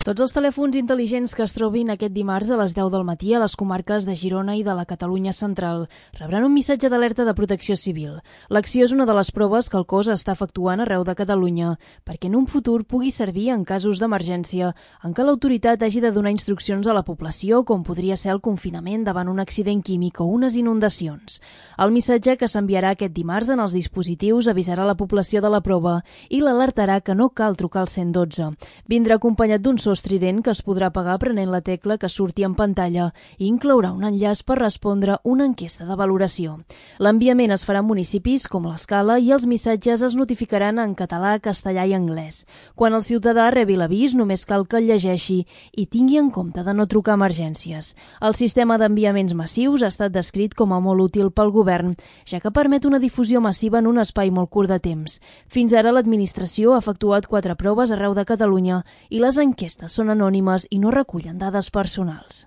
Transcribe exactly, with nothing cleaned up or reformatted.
Tots els telèfons intel·ligents que es trobin aquest dimarts a les deu del matí a les comarques de Girona i de la Catalunya central rebran un missatge d'alerta de protecció civil. L'acció és una de les proves que el cos està efectuant arreu de Catalunya perquè en un futur pugui servir en casos d'emergència en què l'autoritat hagi de donar instruccions a la població, com podria ser el confinament davant un accident químic o unes inundacions. El missatge que s'enviarà aquest dimarts en els dispositius avisarà la població de la prova i l'alertarà que no cal trucar al cent i dotze. Vindrà acompanyat d'un so estrident que es podrà apagar prenent la tecla que surti en pantalla i inclourà un enllaç per respondre una enquesta de valoració. L'enviament es farà en municipis com l'Escala i els missatges es notificaran en català, castellà i anglès. Quan el ciutadà rebi l'avís, només cal que el llegeixi i tingui en compte de no trucar a emergències. El sistema d'enviaments massius ha estat descrit com a molt útil pel govern, ja que permet una difusió massiva en un espai molt curt de temps. Fins ara l'administració ha efectuat quatre proves arreu de Catalunya i les enquestes són anònimes i no recullen dades personals.